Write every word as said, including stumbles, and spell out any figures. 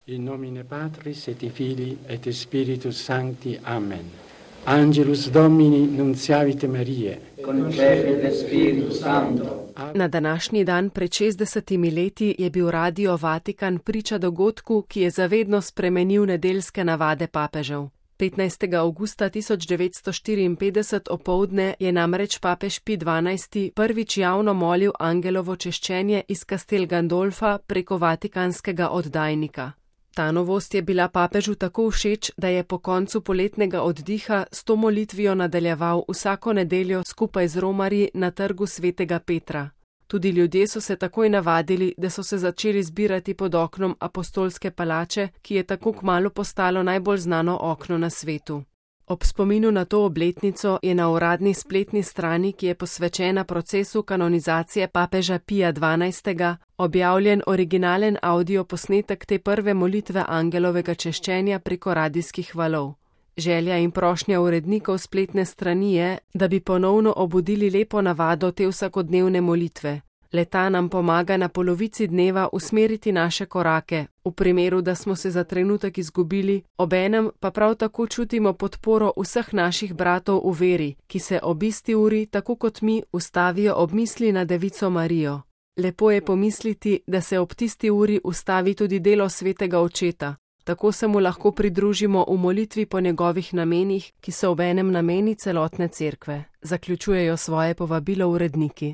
In nomine Patris et Filii et Spiritus Sancti. Amen. Angelus Domini nunciavit Mariae. Concepit Spiritus Sancto. Na današnji dan pred šestdesetimi leti je bil Radio Vatikan priča dogodku, ki je zavedno spremenil nedeljske navade papežev. petnajstega avgusta tisoč devetsto štiriinpetdeset opoldne je namreč papež Pij dvanajsti prvič javno molil angelovo češčenje iz Castel Gandolfa preko vatikanskega oddajnika. Ta novost je bila papežu tako všeč, da je po koncu poletnega oddiha s to molitvijo nadaljeval vsako nedeljo skupaj z romarji na trgu svetega Petra. Tudi ljudje so se takoj navadili, da so se začeli zbirati pod oknom apostolske palače, ki je tako kmalu postalo najbolj znano okno na svetu. Ob spominu na to obletnico je na uradni spletni strani, ki je posvečena procesu kanonizacije papeža Pija dvanajstega, objavljen originalen audio posnetek te prve molitve angelovega češčenja preko radijskih valov. Želja in prošnja urednikov spletne strani je, da bi ponovno obudili lepo navado te vsakodnevne molitve. Le-ta nam pomaga na polovici dneva usmeriti naše korake, v primeru, da smo se za trenutek izgubili, obenem pa prav tako čutimo podporo vseh naših bratov v veri, ki se ob isti uri, tako kot mi, ustavijo ob misli na Devico Marijo. Lepo je pomisliti, da se ob tisti uri ustavi tudi delo svetega očeta. Tako se mu lahko pridružimo v molitvi po njegovih namenih, ki so obenem nameni celotne cerkve, zaključujejo svoje povabilo uredniki.